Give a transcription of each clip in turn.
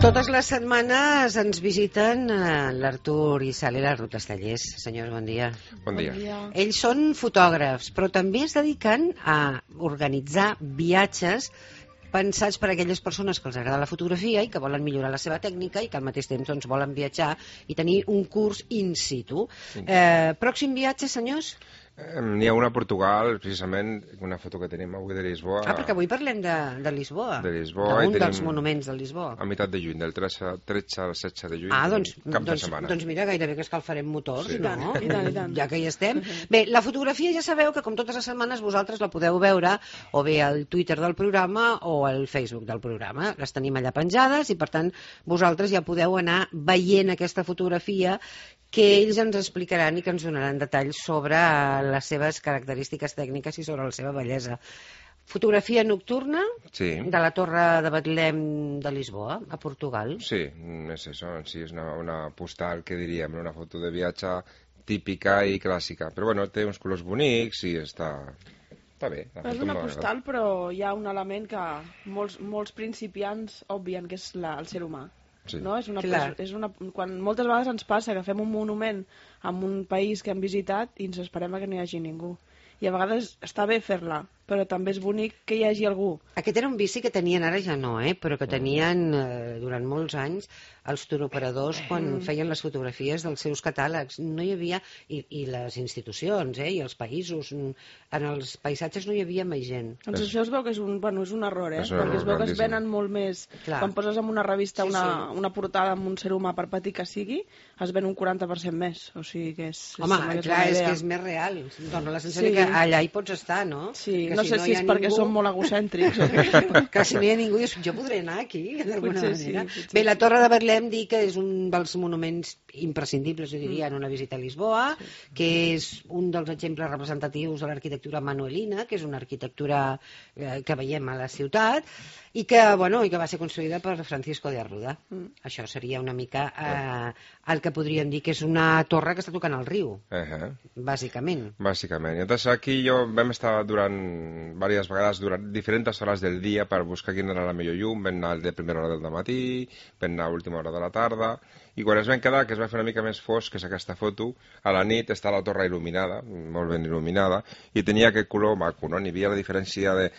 Totes les setmanes ens visiten l'Artur i Sal i la Ruth Estellers. Senyors, bon dia. Bon dia. Ells són fotògrafs, però també es dediquen a organitzar viatges pensats per a aquelles persones que els agrada la fotografia i que volen millorar la seva tècnica i que al mateix temps doncs, volen viatjar i tenir un curs in situ. Pròxim viatge, senyors? N'hi ha una a Portugal, precisament, una foto que tenim avui de Lisboa. Perquè avui parlem de Lisboa. De Lisboa. D'un dels monuments de Lisboa. A meitat de juny, del 13 al 16 de juny. Cap de setmana. Doncs mira, gairebé que escalfarem motors, sí. No? I tant. Ja que hi estem. Bé, la fotografia ja sabeu que com totes les setmanes vosaltres la podeu veure o bé al Twitter del programa o al Facebook del programa. Les tenim allà penjades i per tant vosaltres ja podeu anar veient aquesta fotografia que ells ens explicaran i que ens donaran detalls sobre les seves característiques tècniques i sobre la seva bellesa. Fotografia nocturna de la Torre de Betlem de Lisboa, a Portugal. Sí, és això, sí, és una postal, que diríem, una foto de viatge típica i clàssica. Però bueno, té uns colors bonics i està bé. És una postal, però hi ha un element que molts principiants obvien, que és el ser humà. Sí. No? Quan moltes vegades ens passa que fem un monument en un país que hem visitat i ens esperem que no hi hagi ningú. I a vegades està bé fer-la, però també és bonic que hi hagi algú. Aquest era un vici que tenien, ara ja no, però que tenien durant molts anys els turoperadors quan feien les fotografies dels seus catàlegs. No hi havia, i les institucions, i els països, en els paisatges no hi havia més gent. Doncs això es veu que és un error, perquè es veu que es venen molt més. Quan poses en una revista una portada amb un ser humà, per petit que sigui, es ven un 40% més. O sigui que és... Home, clar, és que és més real. Dóna la sensació que allà hi pots estar, no? Sí, no sé si és perquè som molt egocèntrics. Que si no hi ha ningú, jo podré anar aquí, d'alguna manera. Bé, la Torre de Betlem dir que és un dels monuments imprescindibles, jo diria, en una visita a Lisboa, que és un dels exemples representatius de l'arquitectura manuelina, que és una arquitectura que veiem a la ciutat, i que va ser construïda per Francisco de Arruda. Això seria una mica el que podríem dir que és una torre que està tocant al riu, bàsicament. Bàsicament. I llavors aquí vam estar durant diverses vegades, durant diferents hores del dia, per buscar quina era la millor llum. Vam anar de primera hora del matí, vam anar a última hora de la tarda, i quan es vam quedar, que es va fer una mica més fosc, que és aquesta foto, a la nit està la torre il·luminada, molt ben il·luminada, i tenia aquest color maco, no? N'hi havia la diferència de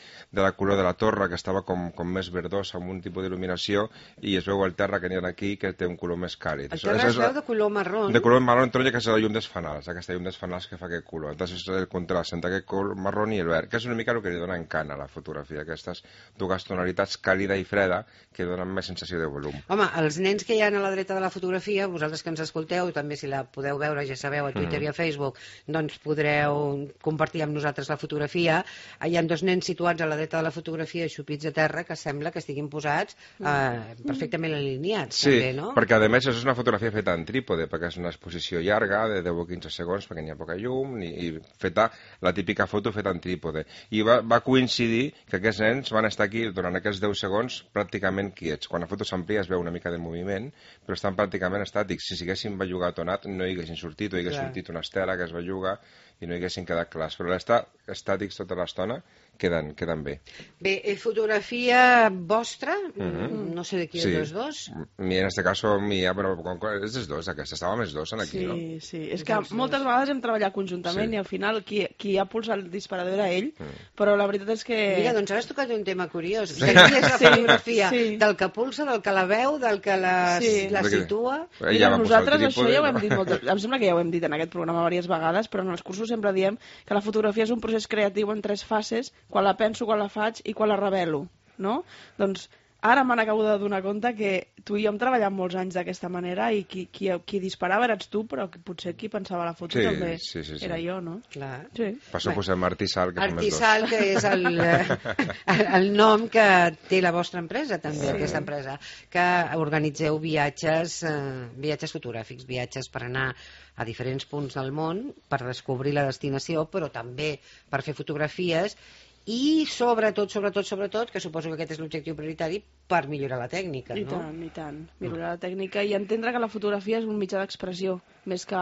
la color de la torre, que estava com més verdosa, amb un tipus d'il·luminació, i es veu el terra que n'hi ha aquí, que té un color més càlid. El terra es veu de color marró. De color marró, taronja, que és la llum dels fanals, aquesta llum dels fanals que fa aquest color. Entonces és el contrast entre aquest color marró i el verd, que és una mica el que li dona encant a la fotografia, aquestes dues tonalitats càlida i freda, que donen més sensació de volum. Home, els nens que hi ha a la dreta de la fotografia, vosaltres que ens escolteu, també si la podeu veure, ja sabeu, a Twitter i a Facebook, doncs podreu compartir amb nosaltres la fotografia. Hi ha dos nens situats a la dreta de la fotografia, xupits a terra, que sembla que estiguin posats perfectament alineats. Sí, també, no? Perquè a més és una fotografia feta en trípode, perquè és una exposició llarga, de 10 o 15 segons, perquè n'hi ha poca llum, i feta la típica foto feta en trípode. I va coincidir que aquests nens van estar aquí durant aquests 10 segons pràcticament quiets. Quan la foto s'amplia es veu una mica de moviment, però estan pràcticament estàtics. Si s'haguessin bellugat o anat, no hi haguessin sortit, o hi hagués sortit una estela que es belluga i no hi haguessin quedat clars. Però l'estar estàtics tota l'estona queden bé. Bé, fotografia vostra, no sé de qui és dos. En este caso mía, però és dels dos, aquesta. Estàvem els dos aquí, no? Sí, és que moltes vegades hem treballat conjuntament i al final qui ha pulsat el disparador era ell, però la veritat és que... Mira, doncs ara has tocat un tema curiós. Qui és la fotografia? Del que pulsa, del que la veu, del que la situa? Mira, nosaltres això ja ho hem dit molt. Em sembla que ja ho hem dit en aquest programa diverses vegades, però en els cursos sempre diem que la fotografia és un procés creatiu en 3 fases: quan la penso, quan la faig i quan la revelo, no? Doncs ara me n'acabo de donar compte que tu i jo hem treballat molts anys d'aquesta manera i qui disparava eres tu, però potser qui pensava la foto també era jo, no? Clar. Per això posem Artisal, que som els dos. Artisal, que és el nom que té la vostra empresa, també, aquesta empresa, que organitzeu viatges fotogràfics, viatges per anar a diferents punts del món, per descobrir la destinació, però també per fer fotografies i sobretot, que suposo que aquest és l'objectiu prioritari, per millorar la tècnica, no? I tant, millorar la tècnica i entendre que la fotografia és un mitjà d'expressió més que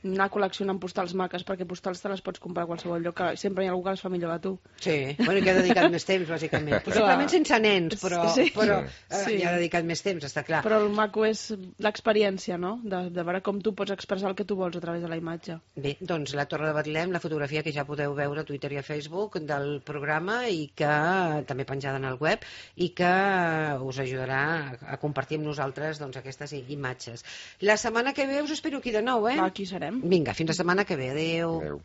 anar col·leccionant postals maques, perquè postals te les pots comprar a qualsevol lloc, que sempre hi ha algú que les fa millor que tu. Sí, bueno, que ha dedicat més temps, bàsicament. Possiblement sense nens, però hi ha dedicat més temps, està clar. Però el maco és l'experiència, no?, de veure com tu pots expressar el que tu vols a través de la imatge. Bé, doncs la Torre de Betlem, la fotografia que ja podeu veure a Twitter i a Facebook del programa i que també penjada en el web i que us ajudarà a compartir amb nosaltres doncs, aquestes imatges. La setmana que ve us espero aquí de nou, eh? Aquí serem. Vinga, fins la setmana que ve. Adéu. Adéu.